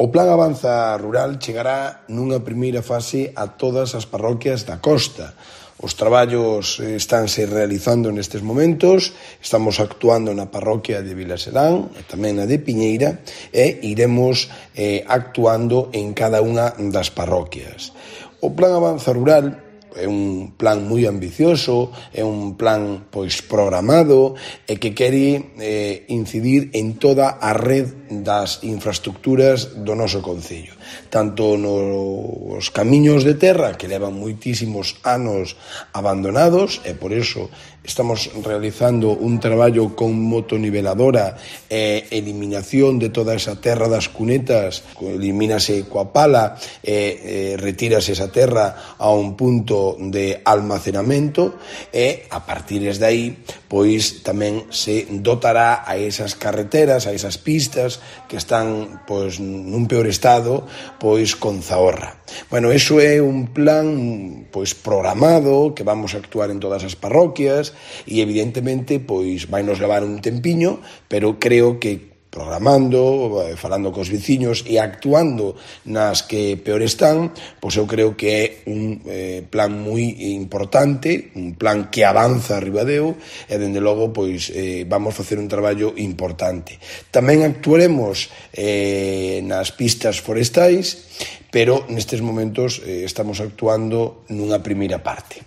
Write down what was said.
O Plan Avanza Rural chegará nunha primeira fase a todas as parroquias da costa. Os traballos estánse realizando nestes momentos, estamos actuando na parroquia de Vilaserán e tamén na de Piñeira e iremos actuando en cada unha das parroquias. O Plan Avanza Rural é un plan moi ambicioso, é un plan programado e que quere incidir en toda a red das infraestructuras do noso concello, tanto nos camiños de terra que levan moitísimos anos abandonados e por iso estamos realizando un traballo con motoniveladora e eliminación de toda esa terra das cunetas, elimínase coa pala e retírase esa terra a un punto de almacenamento e a partir de aí pois tamén se dotará a esas carreteras, a esas pistas que están pois nun peor estado pois con zaorra. Bueno, iso é un plan pois programado que vamos a actuar en todas as parroquias e evidentemente pois vai nos levar un tempiño, pero creo que programando, falando cos veciños e actuando nas que peor están, pois eu creo que é un plan moi importante, un plan que avanza a Ribadeo e dende logo pois vamos facer un traballo importante. Tamén actuaremos nas pistas forestais, pero nestes momentos estamos actuando nunha primeira parte.